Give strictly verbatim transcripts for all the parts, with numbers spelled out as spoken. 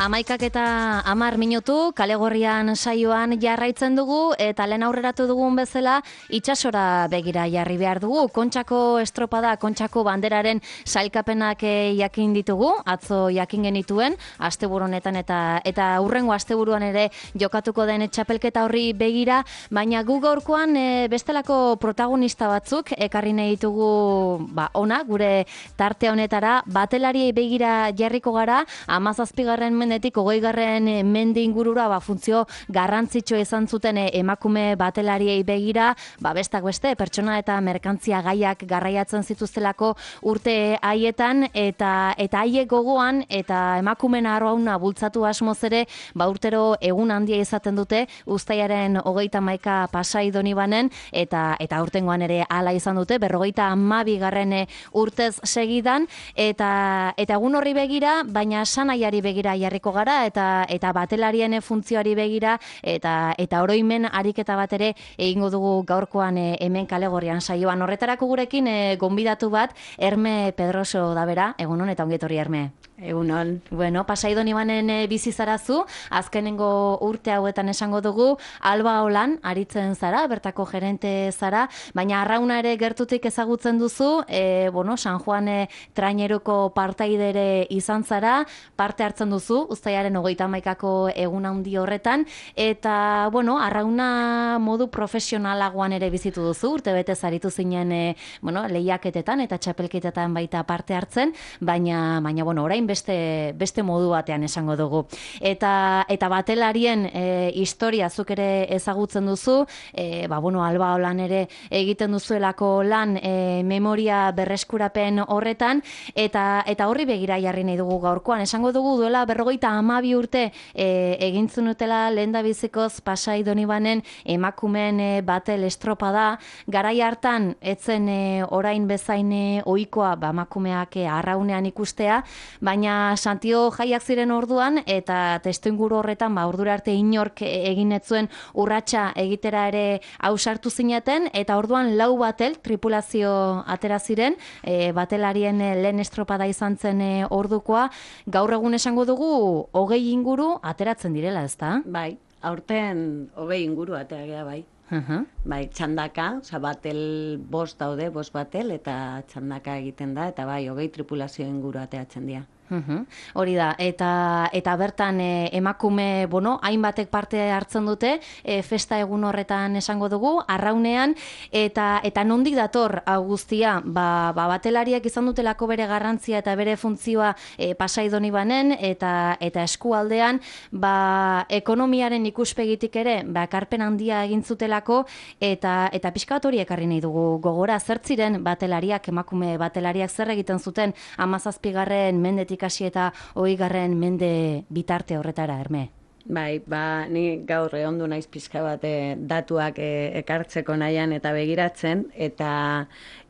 Amaikak eta amar minutu, kalegorrian saioan jarraitzen dugu, eta lehen aurreratu dugun bezala, itsasora begira jarri behar dugu. Kontxako estropada, Kontxako banderaren sailkapenak jakin ditugu, atzo jakin genituen, asteburu honetan eta eta hurrengo asteburuan ere jokatuko den txapelketa horri begira, baina gu gaurkoan e, bestelako protagonista batzuk ekarri nahi ditugu ba, ona, gure tarte honetara, batelariei begira jarriko gara, hamazazpigarren mendetik hogeigarren mende ingurura ba, funtzio garrantzitsua izan zuten emakume batelariei begira, ba, bestak beste, pertsona eta merkantzia gaiak garraiatzen zituztelako urte haietan, eta eta haiek gogoan, eta emakumen arrauna bultzatu asmoz ere, ba, urtero egun handia izaten dute, uztailaren hogeita hamaika Pasai Donibanen, eta eta urtengoan ere hala izan dute, berrogeita hamabigarren urtez segidan, eta eta egun horri begira, baina sanaiari begira jarriko gara, eta eta batelarien funtzioari begira, eta eta oroimen ariketa bat ere egingo dugu gaurkoan e, hemen kalegorrian saioan. Horretarako gurekin e, gonbidatu bat, Herme Pedroso da bera, egunon eta ongi etorri Herme. Egunon. Bueno, Pasai Donibanen e, bizi zarazu, azkenengo urte hauetan esango dugu, Alba Olan aritzen zara, bertako gerente zara, baina arrauna ere gertutik ezagutzen duzu, e, bueno, San Juan e, traineruko partaidere izan zara, parte hartzen duzu, uztailaren hogeita hamaikako egun handi horretan, eta, bueno, arrauna modu profesionalagoan ere bizitu duzu, urte betez aritu zinen, e, bueno, lehiaketetan eta txapelketetan baita parte hartzen, baina, baina, bueno, orain beste, beste modu batean esango dugu. Eta, eta batelarien e, historia zuk ere ezagutzen duzu, e, ba, bueno, Alba Olan ere egiten duzuelako lan e, memoria berreskurapen horretan, eta eta horri begira jarri nahi dugu gaurkoan. Esango dugu duela berrogeita hamabi urte e, egintzun utela lehendabizikoz Pasai Donibanen emakumen e, batel estropada, garai hartan etzen e, orain bezain e, ohikoa ba, emakumeak e, arraunean ikustea, baina Santio jaiak ziren orduan, eta testuinguru horretan, ba, ordura arte inork egin ez zuen urratsa egitera ere ausartu zineten, eta orduan lau batel tripulazio atera ziren, e, batelarien e, lehen estropada izan zen e, ordukoa, gaur egun esango dugu hogei inguru ateratzen direla, ezta? Bai, aurten hogei inguru ateagea bai. Uh-huh. Bai, txandaka, oza, batel bost daude, bost batel, eta txandaka egiten da, eta bai, hogei tripulazio inguru ateatzen dira. Uhum. Hori da, eta eta bertan e, emakume, bueno, hainbatek parte hartzen dute, e, festa egun horretan esango dugu, arraunean, eta eta nondik dator hau guztia, ba, ba batelariak izan dutelako bere garrantzia eta bere funtzioa e, Pasai Donibanen, eta eta eskualdean, ba, ekonomiaren ikuspegitik ere, ba, ekarpen handia egin zutelako, eta eta pixka bat hori ekarri nahi dugu gogora, zer ziren batelariak, emakume batelariak zer egiten zuten hamazazpigarren mendetik hasi eta hogeigarren mende bitarte horretara, Herme. Bai, ba, ni gaur ehondu naiz pixka bat e, datuak e, ekartzeko nahian eta begiratzen, eta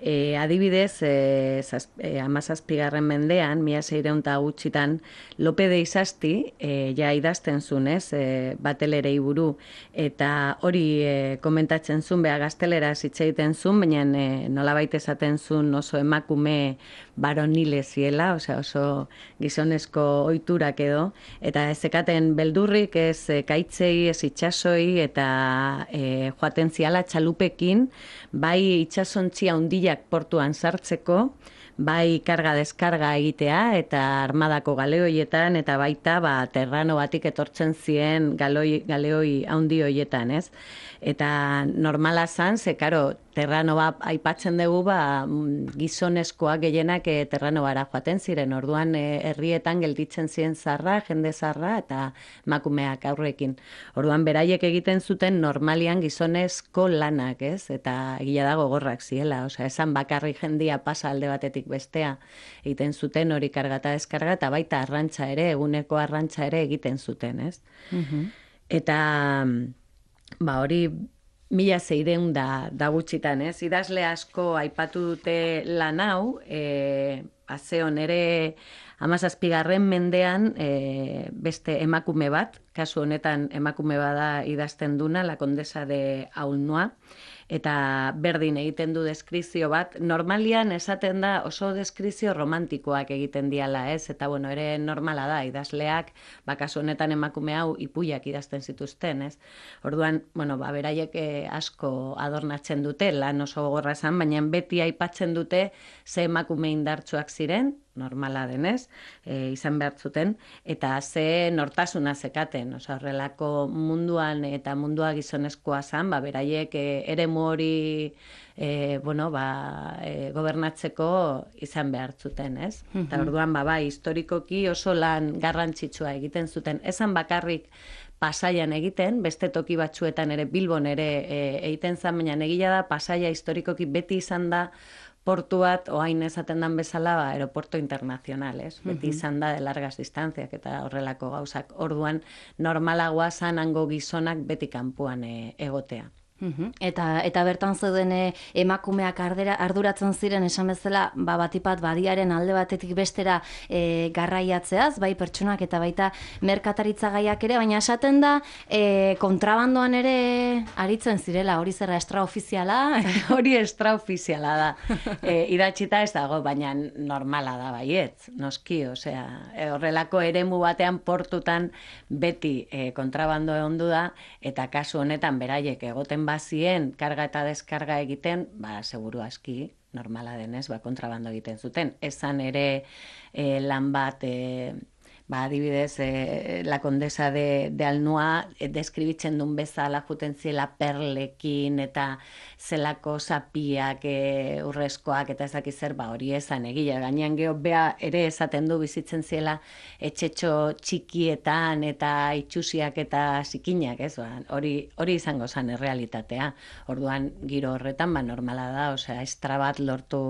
e, adibidez, e, e, hamazazpigarren mendean, mila seiehun eta gutxitan, Lope de Izasti, e, ja idazten zuen, ez, e, batelerei buru, eta hori e, komentatzen zuen, beha gaztelera zitzeiten zuen, baina e, nolabait esaten zuen oso emakume baronile ziela, osea, oso gizonezko ohiturak edo, eta ezekaten beldurrik ez kaitzei, ez itsasoi, eta e, joaten ziala txalupekin, bai itsasontzia hundilak portuan sartzeko, bai karga-deskarga egitea, eta armadako galeoietan, eta baita ba, terrano batik etortzen ziren galoi, galeoi handi hoietan, ez? Eta normala zan, ze, karo, terrano ba, aipatzen dugu, ba, gizonezkoak gehienak e, terrano bara joaten ziren, orduan e, herrietan gelditzen ziren zarra, jende zarra, eta emakumeak aurrekin. Orduan beraiek egiten zuten normalian gizonezko lanak, ez? Eta egia da gogorrak ziela, osea, esan bakarri jendia pasa alde batetik bestea egiten zuten hori kargata deskarga, eta baita arrantza ere, eguneko arrantza ere egiten zuten, ez? Uh-huh. Eta, ba, hori mila seiehun da, da gutxitan, ez? Idazle asko aipatu dute lan hau, e, azeon ere hamazazpigarren mendean e, beste emakume bat, kasu honetan emakume bada idazten duna, la Condesa de Aulnois, eta berdin egiten du deskrizio bat. Normalian esaten da oso deskrizio romantikoak egiten diala, ez? Eta bueno, ere normala da, idazleak, ba, kasu honetan emakume hau ipuiak idazten zituzten, ez? Orduan, bueno, ba, beraiek eh, asko adornatzen dute, lan oso gogorra esan, baina beti aipatzen dute ze emakume indartsuak ziren, normala denez, e, izan behar zuten, eta ze nortasuna zekaten, oza, horrelako munduan eta mundua gizonezkoa zan, ba, beraiek e, eremu hori e, bueno, ba, e, gobernatzeko izan behar zuten, ez? Mm-hmm. Eta orduan, ba, bai, historikoki oso lan garrantzitsua egiten zuten, esan bakarrik Pasaian egiten, beste toki batzuetan ere, Bilbon ere e, egiten zan, baina egia da, Pasaia historikoki beti izan da portu bat, oain esaten dan bezala, ba, aeropuerto internacional, ez? Beti uh-huh. izan da de largas distanciak eta horrelako gauzak. Orduan, normalagoa zan hango gizonak beti kanpoan e, egotea. Uhum. Eta, eta bertan zeuden emakumeak ardera, arduratzen ziren esan bezala, ba, batipat badiaren alde batetik bestera e, garraiatzeaz, bai pertsonak eta baita merkataritza gaiak ere, baina esaten da e, kontrabandoan ere aritzen zirela, hori zerra extraofiziala? Hori extraofiziala da. E, idatxita ez dago, baina normala da baietz, noski, osea, e, horrelako eremu batean portutan beti e, kontrabando egondu da, eta kasu honetan beraiek egoten bazien karga eta deskarga egiten, ba, seguru aski, normala denez, ba, kontrabando egiten zuten. Esan ere e, lan bat, e, ba, adibidez, e, la condesa de, de Alnua e, deskribitzen duen bezala juten ziela perlekin eta zelako zapiak, e, urrezkoak eta ezaki zer, ba, hori esan egila. Gainean geho bea ere esaten du bizitzen ziela etxetxo txikietan eta itxusiak eta zikinak, ez? Ba, hori, hori izango zen errealitatea. Orduan, giro horretan, ba, normala da, osea, estra bat lortu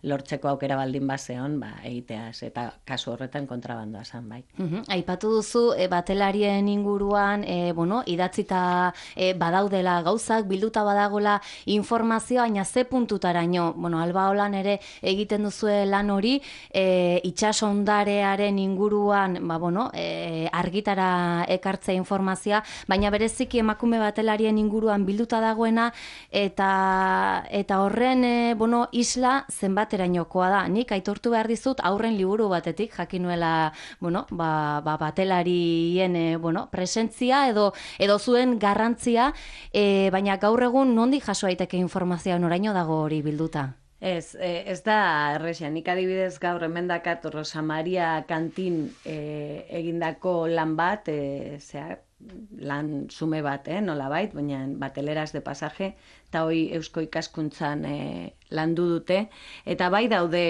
lortzeko aukera baldin bazeon, ba, egiteaz, eta kasu horretan kontrabandoa zan, bai. Uhum. Aipatu duzu, e, batelarien inguruan, e, bueno, idatzita e, badaudela gauzak, bilduta badagola informazioa, baina ze puntutaraino, bueno, Alba Olan ere egiten duzue lan hori, e, itsasondarearen inguruan, ba, bueno, e, argitara ekartzea informazioa, baina bereziki emakume batelarien inguruan bilduta dagoena, eta, eta horren, e, bueno, isla zenbat baterainokoa da. Nik aitortu behar dizut aurren liburu batetik, jakinuela, bueno, ba, ba, batelarien e, bueno, presentzia edo, edo zuen garrantzia, e, baina gaur egun nondik jaso daiteke informazioa, noraino dago hori bilduta? Ez, ez da erresia, nik adibidez gaur hemen dakat Rosa Maria Kantin e, egindako lan bat, e, zera, lan sume bat, eh, nola bait, baina bateleras de pasaje, eta hoi eusko ikaskuntzan e, landu dute, eta bai daude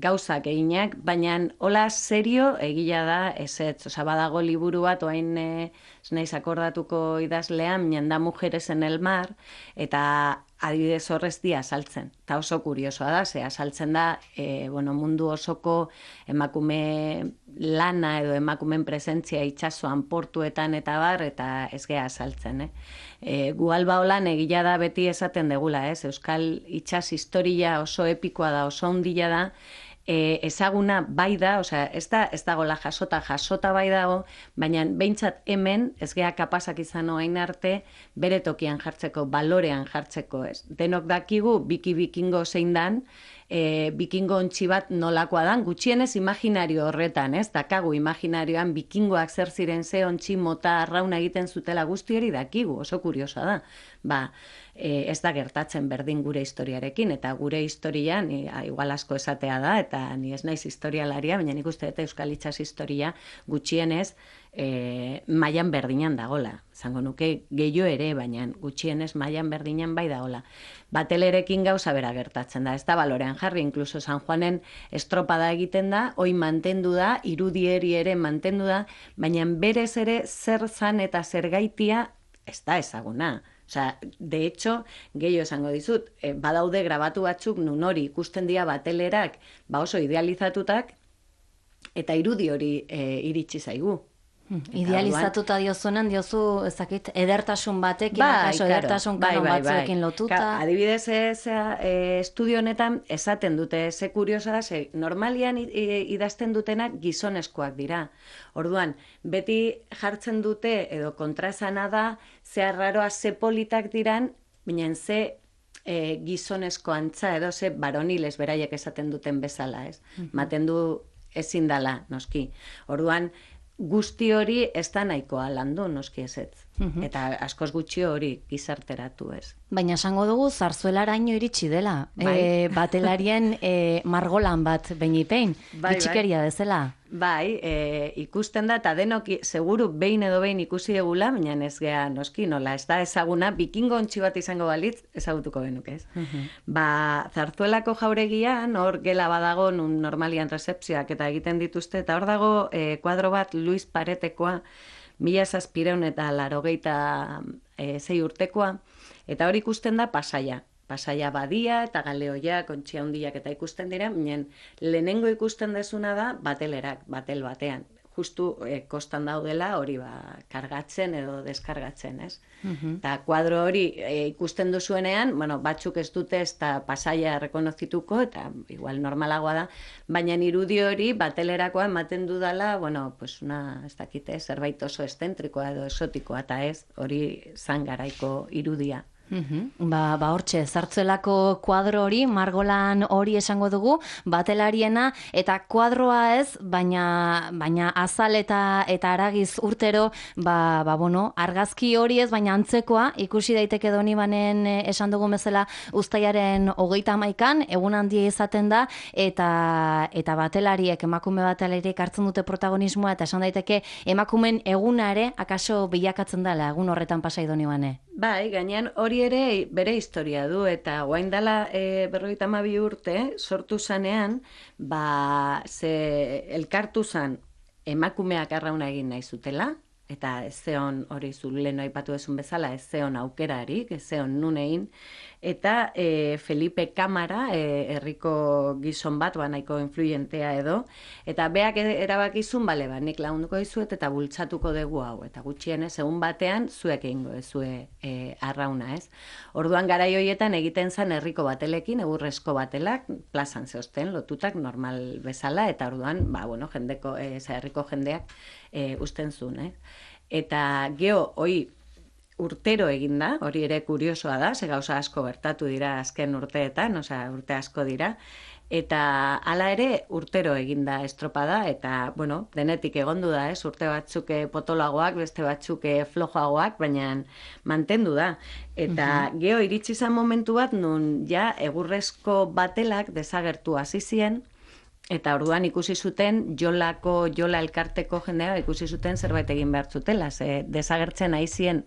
gauzak eginak, baina hola serio egila da ezetz, oza, badago liburu bat, oain e, naiz akordatuko idazlean, minan da Mujeres en el Mar, eta adibidez horrez dia saltzen, eta oso kuriosoa da, ze saltzen da, e, bueno, mundu osoko emakume lana edo emakumen presentzia itsasoan portuetan eta bar, eta ez geha saltzen, eh? E, gu Alba Olan egila da beti esaten degula, ez? Euskal itsas historia oso epikoa da, oso ondila da, e, ezaguna bai da, osea, ez da, ez dagoela jasota, jasota bai dago, baina behintzat hemen, ez geha kapazak izan oain arte, bere tokian jartzeko, balorean jartzeko, ez? Denok dakigu, biki bikingo zein dan, e, bikingo ontsi bat nolakoa dan, gutxienez imaginario horretan, ez? Dakagu imaginarioan bikingoak zer ziren ze ontsi mota arrauna egiten zutela guzti hori dakigu, oso kuriosa da. Ba, e, ez da gertatzen berdin gure historiarekin, eta gure historia, ni, a, igual asko esatea da, eta ni ez naiz historialaria, baina nik uste dut Euskal Itsas historia gutxienez e, mailan berdinan dagola. Zango nuke gehiago ere, baina gutxienez mailan berdinan bai dagola. Batelerekin gauza bera gertatzen da, ez da balorean jarri, inkluso San Juanen estropada egiten da, hoi mantendu da, irudieri ere mantendu da, baina berez ere zer zan eta zer gaitia ez da ezaguna. Osea, de hecho, gehiago esango dizut, e, badaude grabatu batzuk nun hori ikusten dira batelerak, ba oso idealizatutak, eta irudi hori e, iritsi zaigu. Hmm. Idealizatuta diozunen, diozu, ezakit, edertasun batekin, bai, akaso edertasun bai, kanon bai, batzuekin bai. lotuta. Ka, adibidez, ez, e, estudio honetan esaten dute, ze kuriosa da, ze normalian idazten dutenak gizonezkoak dira. Orduan, beti jartzen dute, edo kontraesana da, ze arraroa, ze politak diran, baina ze e, gizonezko antza edo ze baroniles beraiek esaten duten bezala, ez? Maten du ezin dala, noski. Orduan, guzti hori ez da nahikoa landu, noski ezetz. Eta askoz gutxi hori gizarteratu, ez? Baina esango dugu zarzuelaraino iritsi dela. Bai. E, batelarien e, margolan bat beinipein, Bai, bitxikeria bezala. Bai, e, ikusten da, eta denok seguru behin edo behin ikusi egula, baina ez gea noski, nola, ez da ezaguna, bikingo ontsi bat izango balitz, ezagutuko genuke, ez? Ba, zarzuelako jauregian, hor gela badago, nun normalian rezepzioak eta egiten dituzte, eta hor dago e, kuadro bat Luis Paretekoa, mila zazpireun eta larogeita e, zei urtekoa, eta hor ikusten da pasaia. Pasaia badia eta galeoia, kontxia hundiak eta ikusten dira, minen lehenengo ikusten dezuna da batelerak, batel batean. Justu e, kostan daudela hori ba, kargatzen edo deskargatzen, ez? Eta kuadro hori e, ikusten duzuenean, bueno, batzuk ez dute ez da pasaia rekonozituko, eta igual normalagoa da, baina irudi hori batelerakoa ematen dudala, bueno, pues una, ez dakite, zerbait oso estentrikoa edo esotikoa, eta ez, hori zan garaiko irudia. Uhum. Ba, ba hortxe, zartzuelako kuadro hori, margolan hori esango dugu, batelariena, eta kuadroa ez, baina, baina azal eta, eta aragiz urtero, ba, ba, bueno, argazki hori ez, baina antzekoa, ikusi daiteke Donibanen esan dugu bezala uztailaren hogeita hamaikan, egun handia izaten da, eta, eta batelariek, emakume batelariek hartzen dute protagonismoa, eta esan daiteke emakumen eguna ere, akaso bilakatzen dela, egun horretan pasai Donibane. Bai, gainean hori ere bere historia du, eta guain dela e, berrogeita hamabi urte, sortu zanean, ba, ze elkartu zan emakumeak arrauna egin nahi zutela, eta ez zeon hori zu lehen aipatu ezun bezala, ez zeon aukerarik, ez zeon nun egin, eta e, Felipe Kamara, e, herriko gizon bat, ba, nahiko influyentea edo, eta beak erabakizun, bale, ba, nik lagunduko dizuet eta bultzatuko dugu hau, eta gutxienez, egun batean, zuek egingo ezue e, arrauna, ez? Orduan garai horietan egiten zen herriko batelekin, egurrezko batelak, plazan zeosten, lotutak normal bezala, eta orduan, ba, bueno, jendeko, e, herriko jendeak e, usten zuen, eh? Eta geho, hoi, urtero egin da, hori ere kuriosoa da, ze gauza asko gertatu dira azken urteetan, osea, urte asko dira, eta hala ere urtero egin da estropada, eta, bueno, denetik egondu da, ez, urte batzuk potolagoak, beste batzuk flojoagoak, baina mantendu da. Eta uh-huh. geho, iritsi zen momentu bat, nun ja egurrezko batelak desagertu hasi zien, eta orduan ikusi zuten jolako, jola elkarteko jendea ikusi zuten zerbait egin behar zutela, ze desagertzen ari zien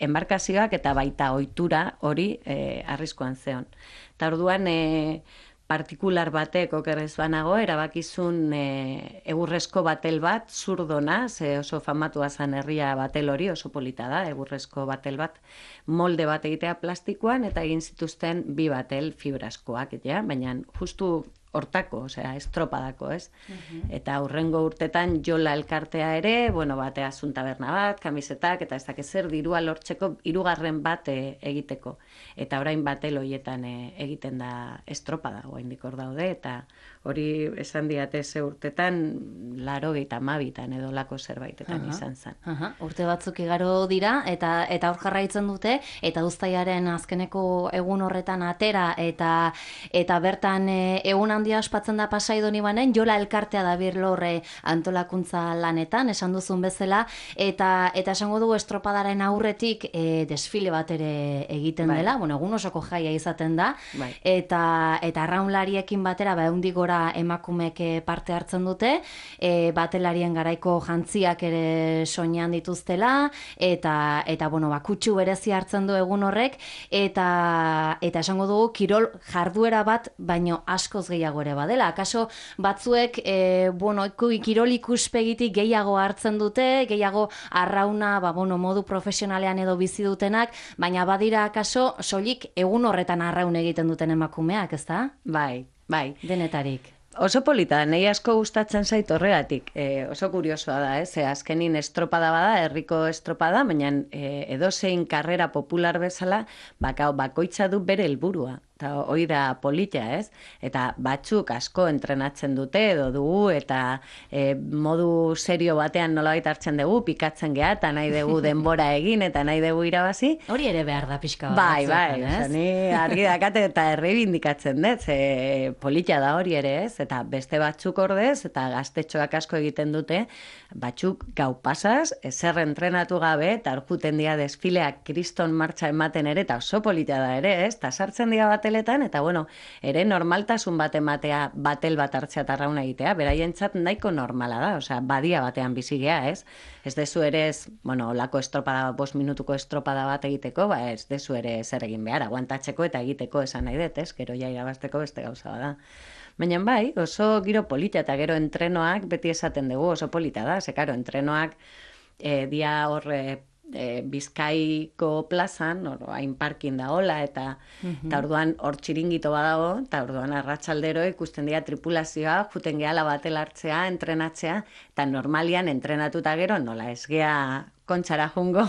enbarkazioak eta baita ohitura hori e, arriskuan zeon. Eta orduan e, partikular batek okerrez banago, erabakizun e, egurrezko batel bat, zurdona, ze oso famatua zan herria batel hori, oso polita da, egurrezko batel bat, molde bat egitea plastikoan, eta egin zituzten bi batel fibraskoak, ja? Baina justu hortako, osea, estropadako, ez? Uh-huh. Eta hurrengo urtetan jola elkartea ere, bueno, batea zun taberna bat, kamisetak, eta ez dakiz zer dirua lortzeko hirugarren bat e, egiteko. Eta orain batel horietan e, egiten da estropada, oraindik hor daude, eta hori esan diate ze urtetan, laurogeita hamabitan edo lako zerbaitetan uh-huh. izan zen. Uh-huh. Urte batzuk igaro dira, eta eta hor jarraitzen dute, eta uztailaren azkeneko egun horretan atera, eta eta bertan e, egun handia ospatzen da Pasai Donibanen, jola elkartea da birlorre antolakuntza lanetan, esan duzun bezala, eta eta esango dugu estropadaren aurretik e, desfile bat ere egiten bai. Dela, bueno, egun osoko jaia izaten da, bai. eta eta arraunlariekin batera, ba, ehundik gora emakumeek parte hartzen dute, e, batelarien garaiko jantziak ere soinean dituztela, eta, eta bueno, ba, kutsu berezi hartzen du egun horrek, eta, eta esango dugu kirol jarduera bat, baino askoz gehiago ere badela. Akaso batzuek, e, bueno, kirol ikuspegitik gehiago hartzen dute, gehiago arrauna, ba, bueno, modu profesionalean edo bizi dutenak, baina badira akaso soilik egun horretan arraun egiten duten emakumeak, ezta? Bai. Bai. Denetarik. Oso polita, nahi asko gustatzen zait horregatik. E, oso kuriosoa da, ez? E, azkenin estropada bada, herriko estropada, baina e, edozein karrera popular bezala, baka, bakoitza du bere helburua. eta hoi da polita, ez? Eta batzuk asko entrenatzen dute edo dugu, eta e, modu serio batean nolabait hartzen dugu, pikatzen geha, eta nahi dugu denbora egin, eta nahi dugu irabazi. Hori ere behar da pixka bat. Bai, bai, oza, ni argi dakate eta errebindikatzen dut, ze polita da hori ere, ez? Eta beste batzuk ordez, eta gaztetxoak asko egiten dute, batzuk gau pasaz, ezer entrenatu gabe, eta orkuten dia desfileak kriston martxa ematen ere, eta oso polita da ere, ez? Eta sartzen dira bateletan, eta bueno, ere normaltasun bat ematea, batel bat hartzea eta arrauna egitea, beraientzat nahiko normala da, osea, badia batean bizi gea, ez? Ez dezu ere, ez, bueno, lako estropada, bost minutuko estropada bat egiteko, ba ez dezu ere zer egin behar, aguantatzeko eta egiteko esan nahi dut, ez? Gero ja irabazteko beste gauza bada. Baina bai, oso giro polita eta gero entrenoak beti esaten dugu oso polita da, ze karo, entrenoak e, dia hor e, e, Bizkaiko plazan, hor hain parkin da hola, eta mm-hmm. eta orduan hor txiringito badago, eta orduan arratsaldero ikusten dira tripulazioa, juten gehala batel hartzea, entrenatzea, eta normalian entrenatuta gero nola ez gea kontxara jungo,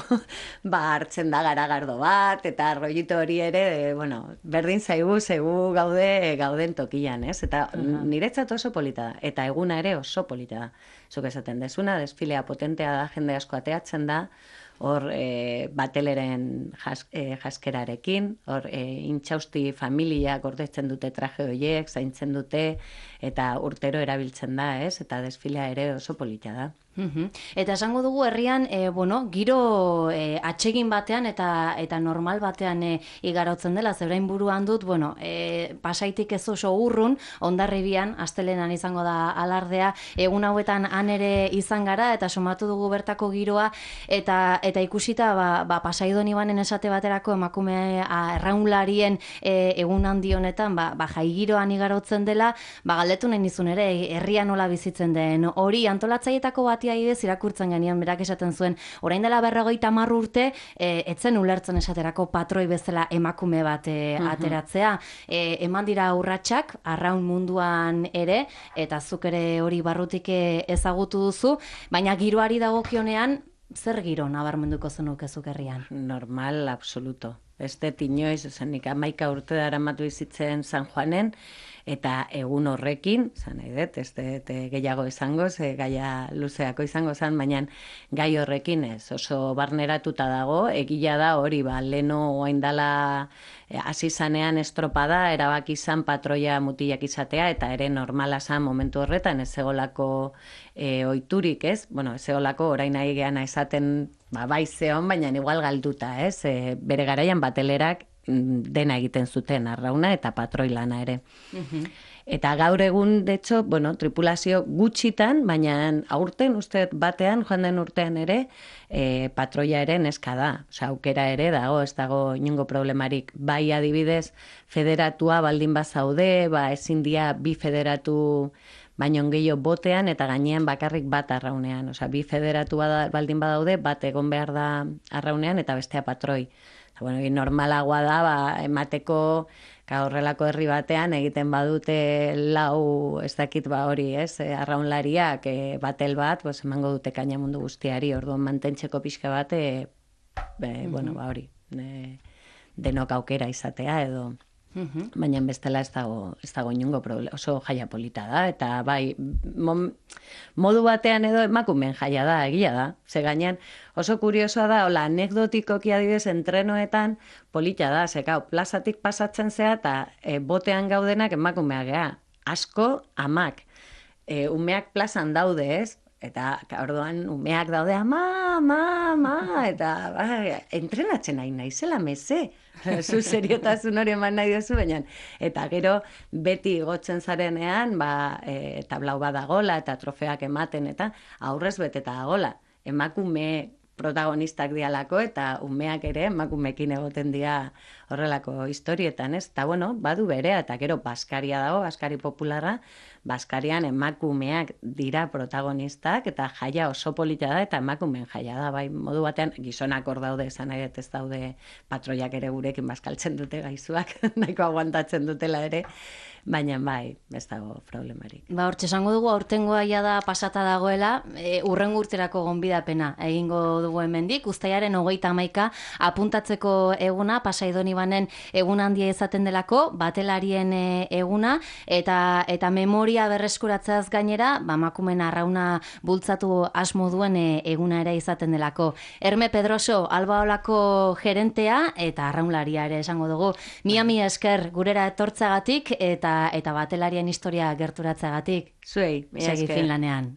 ba hartzen da garagardo bat, eta rollito hori ere, e, bueno, berdin zaigu, zaigu gaude, gauden tokian, ez? Eta uh-huh. niretzat oso polita da, eta eguna ere oso polita da. Zuk esaten dezuna, desfilea potentea da, jende asko ateatzen da, hor e, bateleren jas, e, jaskerarekin, hor e, intxausti familiak gordetzen dute traje horiek, zaintzen dute, eta urtero erabiltzen da, ez? Eta desfilea ere oso polita da. Uhum. Eta esango dugu herrian, e, bueno, giro e, atsegin batean eta eta normal batean e, igarotzen dela, zebrein buruan dut, bueno, e, pasaitik ez oso urrun, Hondarribian, astelenan izango da alardea, egun hauetan han ere izan gara, eta somatu dugu bertako giroa, eta eta ikusita, ba, ba Pasaidon Ibanen esate baterako emakume arraunlarien e, egun handi honetan, ba, ba jai giroan igarotzen dela, ba galdetu nahi nizun ere, herria nola bizitzen den, hori antolatzaietako bat adibidez irakurtzen genian berak esaten zuen, orain dela berrogeita hamar urte, e, etzen ulertzen esaterako patroi bezala emakume bat e, ateratzea. E, eman dira urratsak arraun munduan ere, eta zuk ere hori barrutik ezagutu duzu, baina giroari dagokionean, zer giro nabarmenduko zenuke zuk herrian? Normal, absoluto. Ez dut inoiz, nik hamaika urte daramatu izitzen San Juanen, eta egun horrekin, zan nahi dut, ez dut gehiago izango, ze gaia luzeako izango zen, baina gai horrekin ez, oso barneratuta dago, egila da hori, ba, leno oain dala hasi zanean estropada, erabaki izan patroia mutilak izatea, eta ere normala zan momentu horretan, ez egolako e, oiturik, ez? Bueno, ez egolako orain nahi geana esaten, ba, bai zeon, baina igual galduta, ez? E, bere garaian batelerak dena egiten zuten, arrauna eta patroi lana ere. Uh-huh. Eta gaur egun, de hecho, bueno, tripulazio gutxitan, baina aurten uste batean, joan den urtean ere, e, patroia ere neska da. Osa, aukera ere dago, ez dago inongo problemarik. Bai adibidez, federatua baldin bazaude, ba ezin dia bi federatu baino gehiago botean eta gainean bakarrik bat arraunean. Osa, bi federatu baldin badaude, bat egon behar da arraunean eta bestea patroi. Bueno, normalagoa da, ba, emateko horrelako herri batean egiten badute lau, ez dakit ba hori, ez, arraunlariak e, batel bat, pues, emango dute kaina mundu guztiari, orduan mantentzeko pixka bat, e, be, mm-hmm. bueno, ba hori, e, denok aukera izatea edo... Uhum. Baina bestela ez dago, ez dago inungo problema, oso jaia polita da, eta bai, mom, modu batean edo emakumen jaia da, egia da. Ze gainean oso kuriosoa da, hola, anekdotikoki adibidez entrenoetan polita da, ze gau, plazatik pasatzen zea eta e, botean gaudenak emakumea gea, asko amak, e, umeak plazan daude ez, eta orduan umeak daude, ama, ama, ama, eta ba, entrenatzen nahi naizela meze. Zu seriotasun hori eman nahi duzu, baina eta gero beti igotzen zarenean, ba, e, tablau badagola eta trofeak ematen eta aurrez beteta dagola. Emakume protagonistak dialako eta umeak ere emakumekin egoten dira horrelako historietan, ez? Eta bueno, badu berea eta gero Baskaria dago, Baskari popularra, Baskarian emakumeak dira protagonistak eta jaia oso polita da eta emakumeen jaia da, bai, modu batean gizonak hor daude, esan nahi ez daude patroiak ere gurekin bazkaltzen dute gaizuak, nahiko aguantatzen dutela ere, baina bai, ez dago problemarik. Ba, hortxe esango dugu, aurtengoa ja da pasata dagoela, e, urrengo urterako gonbidapena egingo dugu hemendik, uztailaren hogeita hamaika apuntatzeko eguna, Pasaidon Ibanen egun handia izaten delako, batelarien eguna, eta eta memoria berreskuratzeaz gainera, ba, emakumeen arrauna bultzatu asmo duen eguna ere izaten delako. Herme Pedroso, Albaolako gerentea eta arraunlaria ere esango dugu. Mia mi esker gurera etortzagatik eta eta batelarien historia gerturatzeagatik. Zuei, segi Finlanean.